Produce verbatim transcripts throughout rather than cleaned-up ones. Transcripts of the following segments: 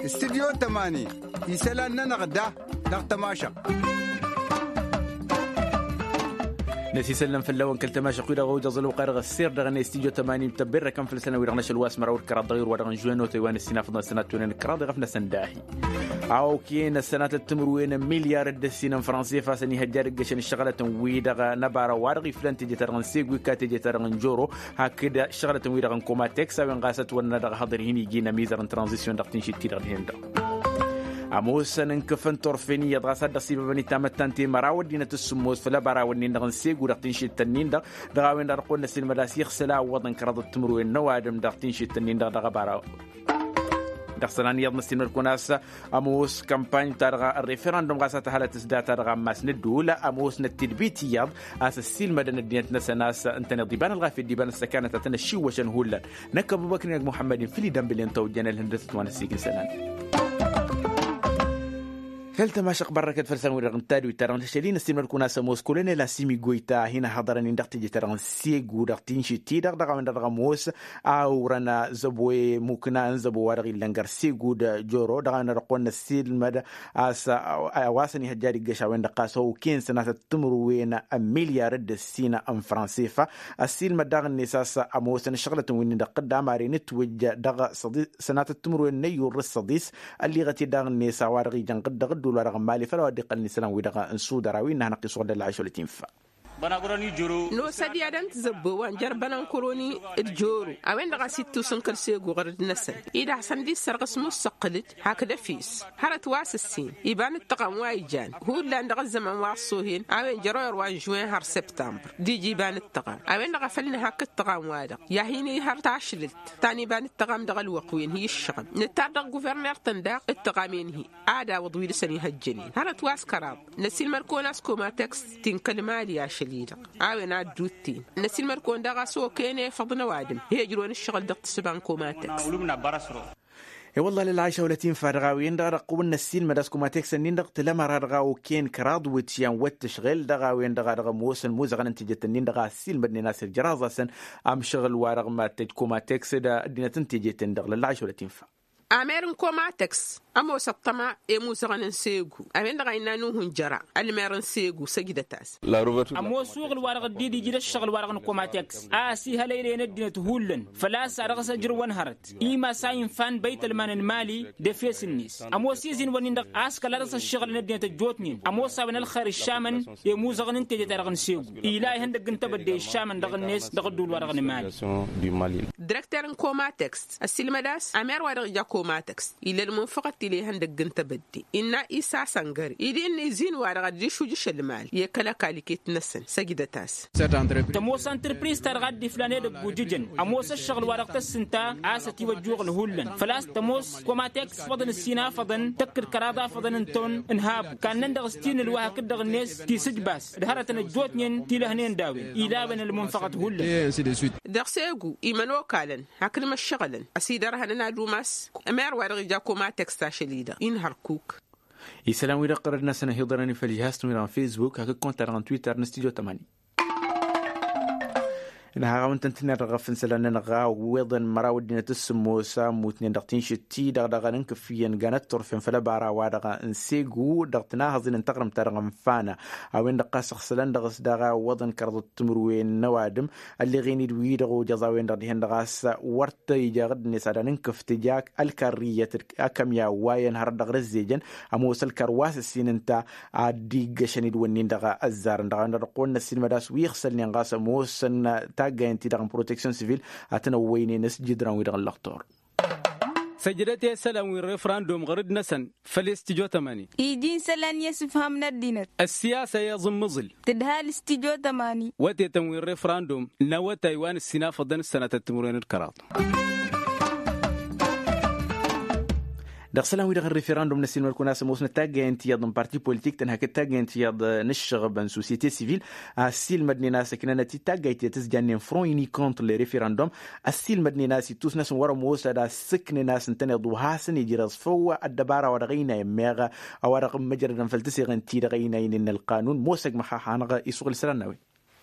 Studyo tămani isălan-nănăɣ da dăɣ-tămašăɣt. Năsisăllăm făll-a-wen kăl-tămašăɣt-wi-dăɣ ojăẓ ălwăqq-a-dăɣ ăssiir dăɣ-năy studyo tămani tăbberrăkăm făll-săn a-wi-dăɣ n-ašăl wa s-măraw d-kăraḍ dăɣ-irwa dăɣ-n žuweno tăywan ăssinafăḍăn sănat tunen d-kăraḍ iɣăf-năsăn dahi. A okăyăn ăssănatăt timǝrwen n-milyar d-ăssin n-franse fasăn ihăjja ad-ǝggăšăn ǝššăɣlătăn-wi-dăɣ n-ăbara wa-dăɣ iflăn teje-ta-dăɣ n-segu ikka teje-ta-dăɣ n-joro hakd ǝššăɣlătăn-wi-dăɣ n-komateks a-wen ɣas ătwănna dăɣ-ehăḍăr hin-iji n-ămizăr n-tranzisyon dăɣ-tinšit-ti-dăɣ dihen-dăɣ. Ămoosăn n-kăfăn turfen iyyăḍ ɣas ad-dd-ăṣibăbăn itamăttan ti-măraw ăddinăt s-sǝmmos făll-ăbara-wǝnnin-dăɣ n-segu dăɣ-tinšit-tăn-in-dăɣ. Dăɣ-a-wen-dăɣ dăɣ-kăwăn-năssilmăd a-s ixsăl a ǝwwăḍăn kăraḍăt timǝrwen n-ăwadǝm dăɣ-tinšit-tăn-in-dăɣ dăɣ-ăbara. Dăɣ-isălan iyyăḍ năssilmăd-kăwăn a-s ămoos kămpany-ta-dăɣ ăreferandum ɣas a tăhalăt s-data-dăɣ ammas n-ădduul ămoosnăt tidbit iyyăḍ a-s ăssiilmădăn ăddinăt-năsăn a-s ǝntăneḍ iba n-ălɣafyăt d-iba n-ăssăkanăt a tăn-ăššiwwăšăn hullan. Năkk ăbubăkr-in ăgg muḥămmăd-in făll-idănbǝlen tawjăn ălhǝndătăt wa n-ăssiik n-isălan. Kăl-tămašăɣ bărrăkăt făll-săn-wi-dăɣ n-tadwit-ta-dăɣ n-tăšăl-i năssiilmăd-kăwăn a-s ămoos kolonel asimi goyta a hin-ăhhăḍărăn-in dăɣ-teje-ta-dăɣ n-segu dăɣ-tinšit-ti-dăɣ dăɣ-a-wen-dăɣ dăɣ-ămoos a urăn zăbo i-mukna n-zăbo wa dăɣ-illăn gar-segu d-joro dăɣ-a-wen-dăɣ dăɣ-kăwăn-năssiilmăd a-s a-wa s-ănihăjja ad-iggăš a-wen-dăɣ ɣas okăyăn sănatăt timǝrwen n-milyar d-ăssin n-franse fa. Ăssiilmăd daɣ-net a-s ămoosăn ǝššăɣlătăn wi n-dăɣ-tădda maren ǝtwǝjj dăɣ-săḍis sănatăt timǝrwen n-ăyyur d-ăssăḍis. Ălliɣăt-dd daɣ-net a-wa-dăɣ ijăn ɣǝd-dăɣ ădduul wa dăɣ-n mali făll-a-wa dd-iqqălăn isălan-wi-dăɣ n-sudăr a-wen n-ad-hanăɣ-t-isuɣǝl d-ălɣašăl tinfa. Nosăd i-ad-ăntǝzăbbo wa n-jer-bănănkăroni d-joro a-wen-dăɣ a-s ittusǝnkăl segu ɣărăd-năsăn-i d-ad-hasăn-dd-issărɣǝs mussăqqǝlǝj hakd efes hărăt wa s-ǝssin iba n-ǝttăɣam wa ijan hullan dăɣ-ăzzăman wa ăṣṣohen a-wen jer-oyăr wa n-žuwen har săptămbăr d-ija iba n-ǝttăɣam a-wen-dăɣ a făl nǝhak ǝttăɣam-wa-dăɣ i-ad-hin-ihăr tašlǝlt ta n-iba n-ǝttăɣam dăɣ-ălwăqq wi ănhǝy ǝššăɣǝl nǝttar dăɣ-guvărner-tăn daɣ ǝttăɣam i-ănhǝy ad-awǝḍ wi dăɣ-săn ihăjjănen hărăt wa s-kăraḍ năsiilmăd-kăwăn a-s komateks ti n-kăl-mali ašăl-i-dăɣ a-wen ad-dd-utten năsiilmăd-kăwăn daɣ a-s okăyăn efăḍ n-ăwadǝm i-ijrăwăn ǝššăɣǝl dăɣ-tǝssǝba n-komateks. I-wălla lălɣayša wăla tinfa dăɣ-a-wen-dăɣ a dăɣ-kăwăn-năssiilmăd a-s komateks-ǝnnin-dăɣ tǝlămăra dăɣ-a okăyăn kăraḍ iwǝtyan wăr tǝšɣel dăɣ-a-wen-dăɣ a dăɣ-ămoosăn imuzăɣăn n-tejet-ǝnnin-dăɣ a ăssiilmădnen a-s ǝjraẓ-asăn amšăɣǝl wa dăɣ-mad-tăj komateks d-ăddinăt n-tejet-en-dăɣ lălɣayša wăla tinfa. Amer n-komateks ămoos ăṭṭăma i-imuzăɣăn n-segu a-wen-dăɣ a innă nuhu n-jăra ălmer n-segu săjdăt-as. Ămoos uɣǝl-wa-dăɣ dd-ija d-ǝššăɣǝl-wa-dăɣ n-komateks a ăsihălăylăyăn ăddinăt hullan făl-a-s a dăɣ-s ăjrǝwăn hărăt imas a infa n-băytălman n-mali d-efes-net. Ămoos izin-wǝnnin-dăɣ a-s kăla dăɣ-s ăššăɣǝlăn ăddinăt ăjjootnen ămoos a-wen ălxer ǝššamăn i-imuzăɣăn n-teje-ta-dăɣ n-segu ila ihăndăgg n-tebădde ǝššamăn dăɣ-net dăɣ-ădduul-wa-dăɣ n-mali. Direkter n-komateks ăssiilmăd a-s amer wa dăɣ-ija komateks ila ălmunfăɣăt ila ihăndăgg n-tebădde innă isa săngăre ila innă izin-wa-dăɣ ad-dd-išujǝš ălmal i-kăl-ăkall iket-năsăn săjdăt-as. Tămoos antrăpriz-ta-dăɣ a dd-iflan edăgg ujǝjăn ămoos ăššăɣǝl-wa-dăɣ tăssǝnta a-s ătiwăjjuɣ ălhullan făl-a-s tămoos komateks făḍăn ǝssin afăḍăn tăkk d-kăraḍ afăḍăn n-ton n-habu kannăn dăɣ-s ti n-ǝlwa hakd-dăɣ-net ti s-ǝjbas d-hărătăn ăjjootnen ti lăhnen d-a-wen ila a-wen ălmunfăɣăt hullan. Dăɣ-segu imănokalăn hakd imăššăɣǝlăn ăsidărhănăn ad-umas. Mer-wa-dăɣ ija komateks ašăl-i-dăɣ inhărkuk. Isălan-wi-dăɣ ɣărăd-năsăn ăhiḍărăn i-făll-ijhaz-tăn-wi-dăɣ n-fesbuk hakd kont-ta-dăɣ n-twitter n-studyo tămani. Ǝnhăɣ a-wen tăn-tǝnner dăɣ-efănsălan-nănăɣ a ăwweḍăn măraw ăddinăt s-sǝmmos a ămmutnen dăɣ-tinšǝt-ti-dăɣ dăɣ-a n-kǝffǝyăn ganăt turfen făll-ăbara wa-dăɣ n-segu dăɣ-tǝnahăẓin n-taɣrǝmt-ta-dăɣ n-fana. A-wen-dăɣ ɣas ăɣsălăn dăɣ-s daɣ a ăwweḍăn kăraḍăt timǝrwen n-ăwadǝm ălleɣen-dd wi-dăɣ ojăẓ a-wen-dăɣ dihen-dăɣ a-s wăr t-ija ɣǝdd-net ad-anǝnkǝf tǝja ălkarriyăt d-akămya wa i-ănhărăt dăɣ-răzzejăn. Ămoos ălkar wa s-ǝssin ǝnta ad-dd-iggăšăn d-wǝnnin-dăɣ ăzzarăn dăɣ-a-wen-dăɣ dăɣ-kăwăn-năssiilmăd a-s wi ixsălnen ɣas ămoosăn taggayăn-ti-dăɣ n-proteksyon sivil ad-tăn-ăwwăynen s-jǝdran-wi-dăɣ n-lăxtur. Săjdăt i-isălan wi n-refrandum ɣărăd-năsăn făll-i studyo tămani. Iji n-isălan i-asǝfham n-ăddinăt. Ăssiyasa i-aẓǝmmǝẓǝl tǝdhal studyo tămani. Wătetăn wi n-refrandum n-awătay wa n-ǝssinafăḍăn s-sănatăt timǝrwen d-kăraḍ. Dăɣ-isălan-wi-dăɣ n-referandum n-ăssiilmăd-kăwăn a-s ămoosnăt taggayăn tiyyăḍ n-parti politik tăn-hakd taggayăn tiyyăḍ n-ǝššăɣăb n-sosyete sivil. Ăssiilmădnen a-s ǝknănăt-dd taggayt tiyyăḍ tǝzjannen front uni contre le referandum. Ăssiilmădnen a-s ittus-năsăn wăr-ămoos ad-asǝknen a-s ǝntăneḍ wa hasăn-ijrăẓ făw ăddăbara wa dăɣ-ăynayăn meɣ a-wa dăɣ-măjrădăn făll-tǝseɣen-ti-dăɣ ăynayăn-in n-ălqanun mosăg măxxaxanăɣ isuɣǝl isălan n-a-wen.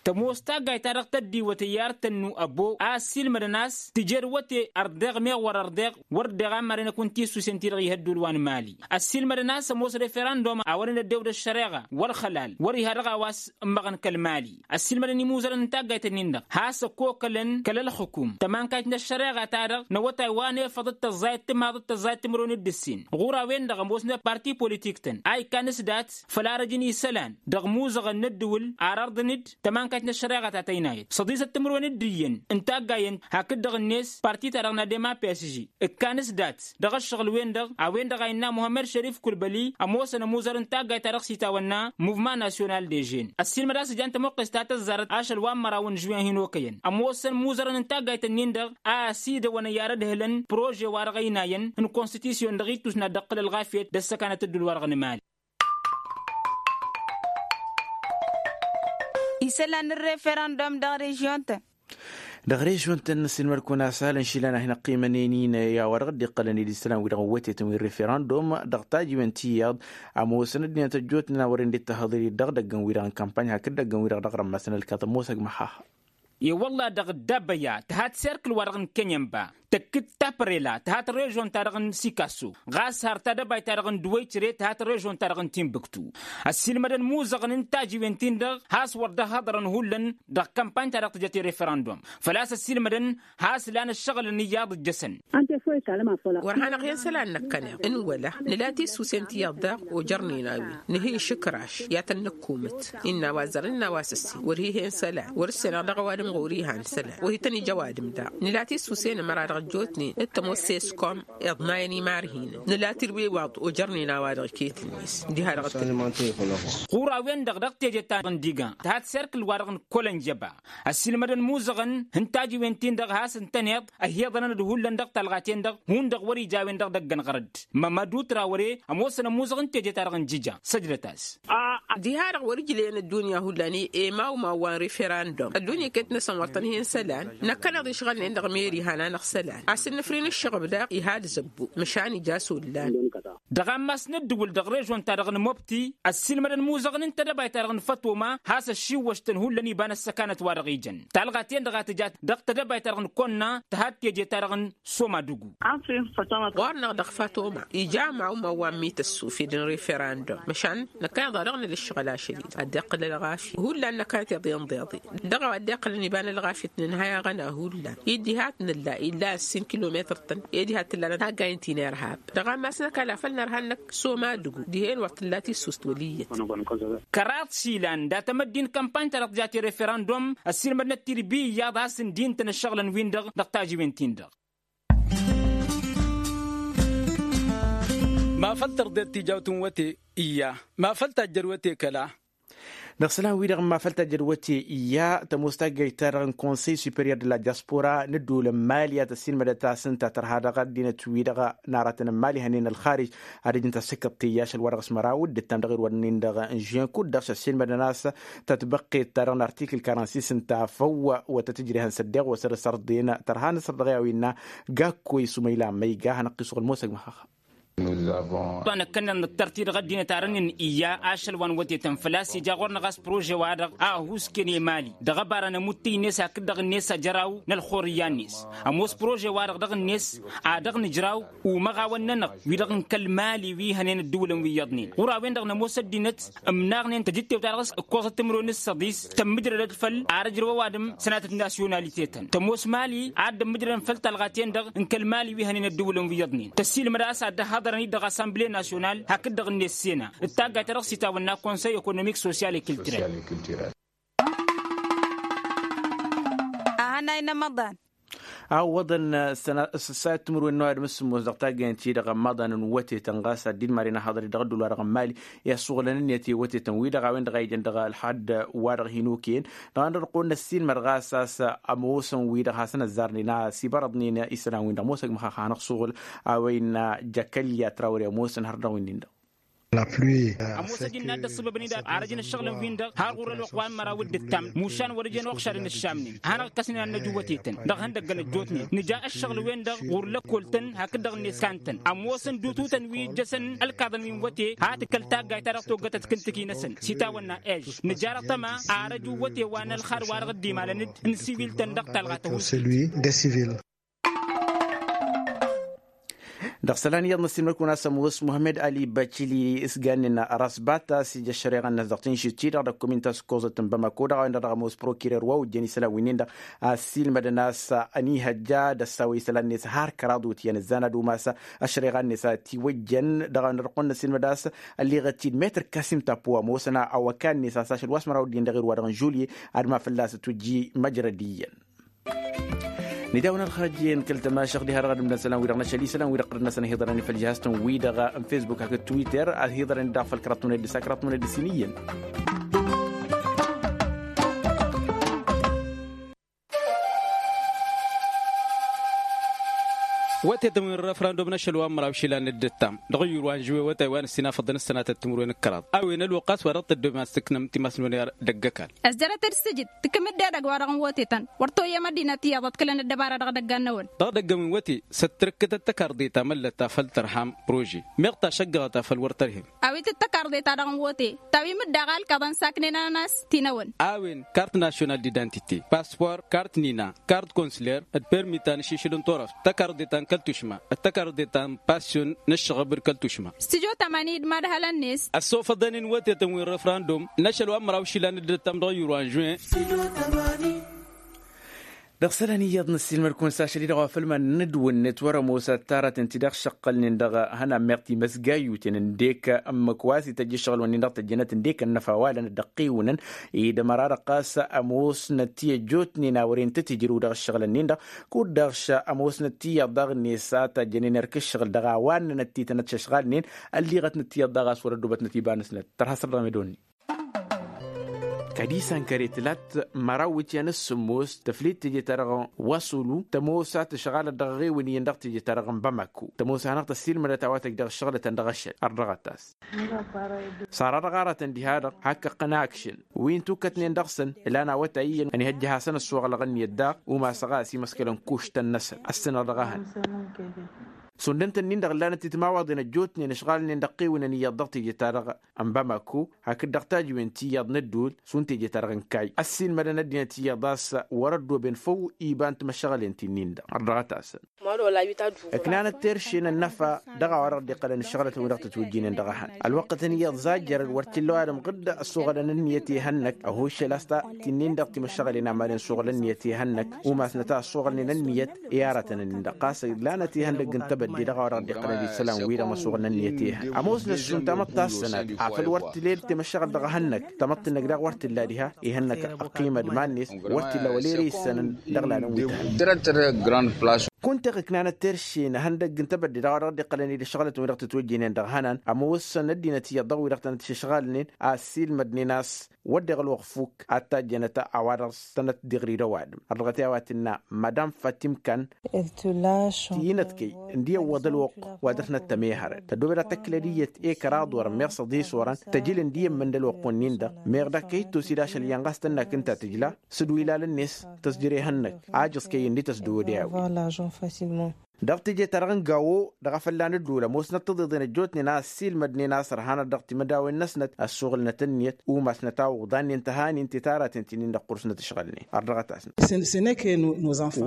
Tămoos taggayt-ta-dăɣ tăddiwăt iyyar tănnu ăbo a ăssiilmădăn a-s tǝjed wăte ărdeɣ meɣ wăr-ărdeɣ wăr deɣ a maren ăkun tissusen-ti-dăɣ ih' ădduul wa n-mali. Ăssiilmădăn a-s ămoos referandum a wăren ăddew d-ăššăreɣa wăr-xălal wăr-iha dăɣ-a-wa s-ǝmmăɣăn kăl-mali. Ăssiilmădăn imuzărăn n-taggayt-nin-dăɣ has-ăkkookălăn kăl-ălxǝkum tămankayt n-ăššăreɣa-ta-dăɣ n-awătay wa n-efăḍ d-tăẓẓayăt timaḍăt tăẓẓayăt timǝrwen d-ǝssin ɣur-a-wen-dăɣ ămoosnăt parti politik-tăn a ikkan s-dat făll-arăj n-isălan dăɣ-imuzăɣăn n-ăddǝwǝl ar ărḍăn-dd tămankayt n-ăššăreɣa ta tăynayăt săḍisăt timǝrwen d-iyyăn n-taggayen hakd-dăɣ-net parti-ta-dăɣ n-adem a psg ǝkkan s-dat dăɣ-ǝššăɣǝl-wen-dăɣ a-wen-dăɣ a innă muhămmăd šărif kulbăli ămoosăn ămuzăr n-taggayt-ta-dăɣ s-itawănna muvman nasyonal dežen ăssiilmăd a-s ǝjan tămuqqes ta tăzzarăt ašăl wa n-măraw n-žuwen hin-okăyăn ămoosăn imuzărăn n-taggayt-nin-dăɣ a ăsidăwăn iyyar ădhǝlăn prože-wa-dăɣ ăynayăn n-konstitisyon dăɣ-ittus n-ad-dd-ǝqqǝl ălɣafyăt d-ăssăkanăt ădduul-wa-dăɣ n-mali. Isălan n-referandum dăɣ-režyon-tăn. Dăɣ-režyon-tăn ăssiilmăd-kăwăn asăhalăn išilan a hin-ăqqimănen-in i-a-wa dăɣ-dd-iqqălăn i-dd isălan-wi-dăɣ n-wătetăn wi n-referandum dăɣ-tajǝwen ti iyyăḍ. Ămoosăn ăddinăt ăjjootnen a wăren dd-tahǝḍăl-i dăɣ-idăggăn-wi-dăɣ n-kampany hakd idăggăn-wi-dăɣ dăɣ-rămmăsăn ălkaḍ ămoosăg măxaxa. E-wălla dăɣ-dd-abăya tǝha tiserkǝl-wa-dăɣ n-kănyănba tăkk-dd taprela tǝha tărežon-ta-dăɣ n-sikasso ɣas har tadăbayt-ta-dăɣ n-duwăycǝre tǝha tărežon-ta-dăɣ n-tinbǝktu. Ăssiilmădăn imuzăɣăn n-tajiwen-tin-dăɣ has-wăr dd-ăhhăḍărăn hullan dăɣ-kămpany-ta-dăɣ tǝjăt i-referandum. Făl-a-s ăssiilmădăn has-lan ǝššăɣǝlăn iyyăḍ ǝjjăsăn. Wăr hanăɣ-hen isălan năkkăneḍ n-wăla nǝla tissǝwsen ti iyyăḍ daɣ ojărnen a-wen nǝhǝy išǝkraš i-ad-tăn-nǝkkumǝt. Innă a-wa ăzzărăn innă a-wa s-ǝssin wăr hi-hen isălan wăr-ǝssenăɣ dăɣ-ăwadǝm ɣur-ihan isălan wăr hi-tăn-ija ăwadǝm daɣ. Nǝla tissǝwsen ămăra dăɣ-ăjjootnen d-tămoos s-eskom iḍnayăn imarhinăn nǝla tirwe iwaḍ ojărnen a-wa-dăɣ iket-net. Diha-dăɣ ɣur-a-wen-dăɣ dăɣ-teje ta n-diga tǝha tiserkǝl wa-dăɣ n-kăl-ănjăba ăssiilmădăn imuzăɣăn n-tajiwen-tin-dăɣ has-ǝntăneḍ ăhiḍănăn d-hullan dăɣ-talɣa-ten-dăɣ hundăɣ wăr-ija a-wen-dăɣ dăgg-ănɣărăd. Mămădu trawăre ămoosăn ămuzăɣ n-teje-ta-dăɣ n-jǝja săjdăt-as. Diha-dăɣ wăr-ǝjlăyăn ăddunya hullan i-emaw imaw wa n-referandum ăddunya iket-năsăn wăr tăn-hen isălan. Năkkăneḍ išɣălnen dăɣ-meri han-anăɣ isălan a-s ǝnnǝfrin ǝššăɣǝb daɣ iha d-zăbbu măšan ija s-ollan. Dăɣ-ammas n-ǝddǝwǝl dăɣ-režon-ta-dăɣ n-mobti ăssiilmădăn imuzăɣăn n-tedăbayt-ta-dăɣ n-fătoma has-ăššiwwăštăn hullan iba n-ăssăkanăt wa dăɣ-ijăn talɣa-ten-dăɣ a tǝjat dăɣ-tedăbayt-ta-dăɣ n-konna tǝha d-teje-ta-dăɣ n-soma d-ugu. Ɣur-năɣ dăɣ-fatoma ija ămaw imaw wa n-mităssufed n-referandum măšan năkkăneḍ a dăɣ-năl ǝššăɣǝl ašăl-i ad-dd-iqqǝl ălɣafyăt hullan năkkăneḍ iḍeḍeḍe. Dăɣ-a-wa dd-iqqălăn iba n-ălɣafyăt nǝnhăy aɣăna hullan i-dd-iha t-nǝlla illa ǝssin kilometăr-tăn. Ed iha t-tǝllanăt taggayǝn ti n-irhab dăɣ-ammas n-ăkall a făl nărha-năk s-omadugu dihen wăr t-tǝlla tissust wăl' iyyăt. Kăraḍ išilan dat-emăddi n-kămpany-ta-dăɣ tǝjat i-referandum ăssiilmădnăt tirbi iyyăḍ a-s ǝndi ǝntăn ǝššăɣǝlăn-win-dăɣ dăɣ-tajiwen-tin-dăɣ. Ma făl tărḍet tijawt n-wăte iyya ma făl tajjăd wăte kăla. Dăɣ-isălan-wi-dăɣ n-ma făl tajjăd wăte iyya tămoos taggayt-ta-dăɣ n-konsăy superior de la diaspora n-ădduul n-mali a tăssiilmădăt a-s ǝnta tărha dăɣ-ăddinăt-wi-dăɣ n-aratăn n-mali hănen ălxarij ad-ǝjǝn tasǝkkăḍt teyya ašăl wa dăɣ-s măraw dd-ǝttam dăɣ-irwădnen-dăɣ n-žen kud-dăɣ s-ăssiilmădăn a-s tatbăqqet-ta-dăɣ n-artikǝl karănsis ǝnta a făw wa tăt-ǝjrehăn s-ăddeɣ wa săr-s ărḍen tărha n-asăr dăɣ-i a-wa innă gakkoy sumăyla măyga hanăɣ-t-isɣǝl mosăg măxăxăm. Wa năkkănăn nǝttăr-t-i dăɣ-ăddinăt arănen iyya ašăl wa n-wătetăn făl-a-s ija ɣur-năɣ a-s prože-wa-dăɣ a ăhuusken i-mali dăɣ-ăbarăn ămuttǝy-net hakd-dăɣ-net ăjăraw n-ălxurǝyya-net. Ămoos prože-wa-dăɣ dăɣ-net a dăɣ-nǝjraw umăɣawăn-nănăɣ wi-dăɣ n-kăl-mali wi hănen ăddǝwǝlăn wi iyyăḍnen ɣur-a-wen-dăɣ nămoos ăddinăt ǝmnaɣnen tăjǝttewt-ta-dăɣ s-ǝkkoẓăt timǝrwen s-săḍis tămmǝjrădăd făll-ar ǝjrăw ăwadǝm sănatăt nasyonalitetăn tămoos mali ad-dd-ǝmmǝjrădăn făll-talɣa-ten-dăɣ n-kăl-mali wi hănen ăddǝwǝlăn wi iyyăḍnen tăssiilmăd a-s ad-dd-ăhhăḍărăn-dd dăɣ-assemble nasyonal hakd-dăɣ ǝnne s-sena d-taggayt ta dăɣ-s itawănna konsăy ekonomik sosyal i-kiltirel. Ahănay n-amăḍan. Awwăḍăn s-sănat timǝrwen n-ăwadǝm s-sǝmmos dăɣ-taggayăn-ti-dăɣ ămmaḍan n-wătetăn ɣas ad-dd-maren ahăḍăr-i dăɣ-ăddul-wa-dăɣ n-mali i-ăssuɣǝlăn ǝnniyăt i-wătetăn-wi-dăɣ a-wen-dăɣ a ijăn dăɣ-ălxad wa-dăɣ hin-okăyăn dăɣ-a-wen-dăɣ ăqqol n-ăssiilmăd ɣas a-s ămoosăn-wi-dăɣ hasăn-ăzzarnen a-s ibărăḍnen isălan-win-dăɣ ămoosăg măxaxa hanăɣ-suɣǝl a-wa innă jăkălya trawăre ămoosăn hărăt dăɣ-win-nin-dăɣ. Ămoos ăjǝnna dd-ăṣṣăbăbăn-dd arăj n-ǝššăɣǝlăn-win-dăɣ har ɣur-ălwăqq wa n-măraw d-ǝttam mušan wăr-ăjen uɣšad n-ǝššamnen ad-hanăɣ-ǝkkăsnen ad-năj iwwătetăn dăɣ-ihăndăggăn ăjjootnen nǝja ǝššăɣǝl-wen-dăɣ ɣur-lăkkol-tăn hakd-dăɣ-net kan-tăn ămoosăn d-ututăn wi ǝjjăsăn ălkaḍăn wi n-iwwăte. Ha tǝkkăl taggayt ta dăɣ-toggătăt kǝntǝki-năsăn s-itawănna ež nǝjar ăṭṭăma arăj iwwăte wa n-ălxad wa dăɣ-dd-imalăn-dd n-siwil-tăn dăɣ-talɣa tăhusǝt. Dăɣ-isălan iyyăḍ n-ăssiilmăd-kăwăn a-s ămoos muhămmed ali băcili s-gannen ăras bata s-ija ăššăreɣa-net dăɣ-tinšit-i-dăɣ d-ăkkomin ta s-ǝkkoẓăt n-bamako dăɣ-a-wen-dăɣ dăɣ-ămoos prokirer wa ojjăn isălan wi-nin-dăɣ a ăssiilmădăn a-s ăniihăjja d-ăssawăy isălan-net har kăraḍ wutǝyăn ǝzzan ad-umas ăššăreɣa-net a ătiwăjjăn dăɣ-a-wen-dăɣ dăɣ-kăwăn n-ăssiilmăd a-s ălleɣăt-dd metăr kasim tapuwa ămoosăn awăkan-net a-s ašăl wa s-măraw dd-iyyăn dăɣ-irwa dăɣ-n-žulye ad-ma fălla-s ătwǝjji măjrăd iyyăn. Nǝdawăn ălxărăj-en kăl-tămašăɣt diha-dăɣ ad-ǝmdăn isălan-wi-dăɣ n-ašăl isălan-wi-dăɣ ɣur-năsăn ăhiḍărăn făll-jihaz-tăn-wi-dăɣ n-fesbuk hakd twitter ăhiḍărăn-dd daɣ făll-kăraḍ timǝned d-ǝssa kăraḍ timǝned d-ǝssin iyyăn. Wătetăn wi n-refrandum n-ašăl wa n-măraw išilan d-ǝttam dăɣ-ǝyyur wa n-žuwe wătay wa n-ǝssin afăḍăn s-sănatăt timǝrwen d-kăraḍ a-wen ălwăqq a-s wa dăɣ-tăddobem a-s tǝknăm timasnăwen i-ad-ăggăkal. Ăzzărăt-dd s-tǝjǝd tǝkǝm-dd edăgg wa dăɣ-n wătetăn wăr toyyăm ăddinăt iyyăḍ ăḍkǝlăn ăddăbară dăɣ-idăggan-năwăn. Dăɣ-idăgg-ăwin wăte s-ăttărǝkkăt ăttăkarḍe ta măllăt ta făll-tărham prože meɣ tašăggăɣăt a făl wăr tărhem. A-wen ăttăkarḍe ta dăɣ-n wăte ta wi mǝdda ɣalkăḍăn saknen ănănas ti-năwăn. A-wen kart national d-identite paspor kart nina kart konsler d-permi ta n-ašišǝl n-turăft tăkarḍe ta n-kăl-tušma d-tăkarḍe ta n-passion n-ǝššăɣăb d-kăl-tušma. Stijo tămani d-madhălăn-net. Ăssofăḍăn-in wătetăn wi n-refrandum n-ašăl wa n-măraw išilan d-ǝttam dăɣ-iyyur wa n-žuin. Dăɣ-isălan iyyăḍ n-ăssiilmăd-kăwăn s-ašăl-i-dăɣ wa făll-iman n-ǝdwǝnnet wăr-ămoos ad-taratăn ti-dăɣ šăqqălnen dăɣ-ihănan meɣ timăsgayyuten ǝndek ǝmmǝk wa s-ităjj ǝššăɣǝl-wǝnnin-dăɣ tăjjănăt ǝndek ănnăfa walăn dd-ăqqiwǝnăn. Ed ămăra-dăɣ ɣas ămoosnăt ti ăjjootnen a wăren tăt-ijrǝw dăɣ-ǝššăɣǝl-nin-dăɣ kud-dăɣ ămoosnăt ti iyyăḍ daɣ-net a tajjănen erk ǝššăɣǝl dăɣ-a-wa ǝnnănăt titănăt šăšɣalnen. Ălliɣătnăt ti iyyăḍ daɣ a-s wăr-ăddubătnăt iba-năsnăt tărha săr-dăɣ medonni. Kăd-isan kăre tǝlat măraw iwǝtyan s-sǝmmos tăflit teje-ta-dăɣ n-wasulu tămoos a tǝšɣalăt dăɣ-eɣewăn iyyăn dăɣ-teje-ta-dăɣ n-bamako tămoos a hanăɣ-tăssiilmădăt a-wa tăjj dăɣ-ǝššăɣlătăn dăɣ-ašăl ărdăɣăt-as. Sara dăɣ-aratăn diha-dăɣ hak ǝqqăn akšăn wi n-tukătnen dăɣ-săn ǝlan awătay iyyăn ănihăjja ad-hasăn-ăssoɣlăɣ ǝnniyăt daɣ umasăɣ a ăsimăskălăn kuštăn-năsăn ăssănăɣ dăɣ-ehăn. Sundăn-tăn-in-dăɣ ǝllanăt titmawaḍen ăjjootnen ǝšɣalnen dăɣ-tiwǝnăn iyyăḍ dăɣ-teje-ta-dăɣ n-bamako hakd dăɣ-tajǝwen ti iyyăḍ n-ădduul šund teje-ta-dăɣ n-kayy ăssiilmădăn ăddinăt iyyăḍ a-s wăr-ăddooben făw iba n-timăšăɣălen ti-nin-dăɣ ărdăɣăt-asăn. Ǝknanăt terše n-ănnăfa dăɣ-a-wa dăɣ-dd-iqqălăn ǝššăɣlătăn wi dăɣ-tătwǝjjǝynen dăɣ-ehăn ălwăqqătăn iyyăḍ zajjărăn wăr t-illa ăwadǝm ɣǝdd ăssoɣălăn ǝnniyăt i-hănnăk ăhuššăl a-s ta ti-nin-dăɣ timăšăɣălen a madăn soɣăl ǝnniyăt i-hănnăk umasnăt a ăssoɣălnen ǝnniyăt i-aratăn-nin-dăɣ ɣas ǝglanăt ihăndăgg n-tebădde dăɣ-a-wa dăɣ-dd-iqqălăn isălan-wi-dăɣ n-ăssoɣălnen ǝnniyăt i-hănnăk ămoosnăt šund tamăḍt ta s-sănad afăl wăr t-lel timăššăɣăl dăɣ-ehănnăk tamăḍt-năk daɣ wăr t-illa diha. Ihănnăk ăqqimăd iman-net wăr t-illa wăla ere issănăn dăɣ-ilalăn wi tăhănna. Kunta iɣǝknanăt terše n-ehăndăgg n-tebădde dăɣ-a-wa dăɣ-dd-iqqălăn-dd ǝššăɣlătăn wi dăɣ-tătwăjjăynen dăɣ-ehănan ămoosăn ăddinăt iyyăḍ dăɣ-wi-dăɣ tănăt-išǝšɣalnen a ăssiilmădnen a-s wădden ălwăqq fukk ad-tajjănăt a-wa dăɣ-s tănăt-dd-iɣri d-ăwadǝm. Ărdăɣăt i-a-wa tǝnna madam fatim kan ti-inătkăy ǝndi ăwwăḍ ălwăqq wa dăr-snăt tămehărăn tăddoobed ad-tăkklăd iyyăt i-kăraḍ orăn meɣ s-ăḍis orăn tăjǝl ǝndi ămmǝn d-ălwăqq-wǝnnin-dăɣ meɣ d-ak kăy-dd-tosi d-ašăl iyyăn ɣas tănna kǝnta tǝjla s-dd-wi lalăn-net tăsjăr ehănnăk ajǝẓ kăy-ǝnni tăsdăwăd i-a-wen. Dăɣ-teje-ta-dăɣ n-gawo dăɣ-afălla n-ădduul ămoosnăt tiḍeḍen ăjjootnen a ăssiilmădnen a-s ărhanăt dăɣ-timǝdawen-năsnăt ăssuɣǝlnăt ǝnniyăt umasnăt a uḍannen tăhanin ti taraten ti-nin-dăɣ ɣur-snăt ǝšɣălnen. Ărdăɣăt-asnăt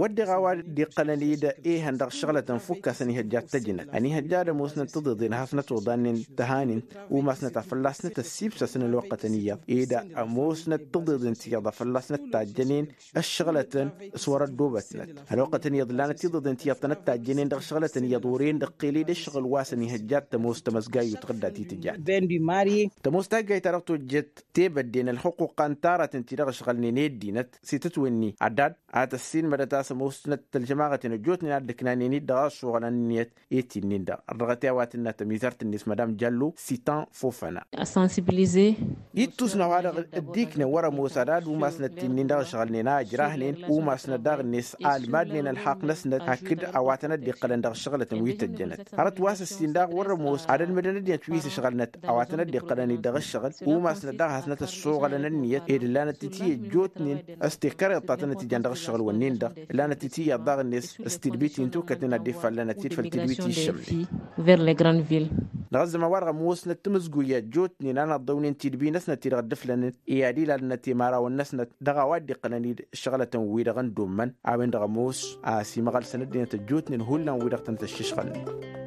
wădden a-wa dd-iqqălăn-dd ehăn dăɣ-išăɣlătăn fukk a-s ănihăjja d-tăjnăt ănihăjja d-ămoosnăt tiḍeḍen a hasnăt uḍannen tăhanin umasnăt a fălla-snăt ăssiibsăsăn ălwăqqătăn iyyăḍ ed ămoosnăt tiḍeḍen ti iyyăḍ a fălla-snăt tajjănen ăššăɣlătăn s-wăr-ăddoobătnăt. Ălwăqqătăn iyyăḍ ǝllanăt tiḍeḍen ti iyyăḍ tănăt-tajjănen dăɣ-išăɣlătăn iyyăḍ ore-en dăɣ-kăyăled ăššăɣǝl wa s-ănihăjja d-tămoos tamăzgayyu tăɣǝdda ti tǝjjat. Tămoos taggayt-ta-dăɣ tojjăt tebădde n-ălxuqquqa n-taratăn ti-dăɣ ǝšɣălnen i-ăddinăt s-itǝtwǝnni ădad a tăssiilmădăt a-s ămoosnăt tălžămaɣăten ăjjootnen a dd-ǝknanen-dd dăɣ-a ăssuɣălăn ǝnniyăt i-ti-nin-dăɣ. Ărrăɣăt i-a-wa tǝnna tămizart-net madam jallo sitan fofăna. Ittus n-a-wa-dăɣ dd-iknăn wăr-ămoos ad-ad umasnăt ti-nin-dăɣ ǝšɣălnen a ǝjrahnen umasnăt daɣ-net a ălmadnen ălxaqq-năsnăt hakd a-wa ad-dd-iqqălăn dăɣ-ǝššăɣǝlătăn wi tăjjănăt. Hărăt wa s-ǝssin daɣ wăr-ămoos ad-ălmǝdăn ăddinăt wi s-ǝšɣălnăt a-wa tăn-dd-iqqălăn-dd dăɣ-ǝššăɣǝl, umasnăt daɣ ad-hasnăt ăssoɣălăn ǝnniyăt ed ǝllanăt-t-i ăjjootnen s-tekkăreḍt ta tăn-dd-tǝjjan dăɣ-ǝššăɣǝl-wǝnnin-dăɣ. Ǝllanăt-t-i iyyăḍ daɣ-net s-tidbit-i n-tukătnen ad-dd-ifallănăt-dd făll-tidbit-i ǝššămnen. Dăɣ-ăzzăman wa-dăɣ ămoosnăt timǝzguy i-ăjjootnen a n-ăḍḍăwnen tidbi-năsnăt-ti-dăɣ dd-ǝflănăt i-ad-ilalnăt i-imărawăn-năsnăt dăɣ-a-wa dd-iqqălăn-dd ǝššăɣǝlătăn-wi-dăɣ n-dd-ummăn. A-wen-dăɣ ămoos a ăsimăɣălsăn ăddinăt ăjjootnen hullan-wi-dăɣ tăn-tăššǝšɣălnen.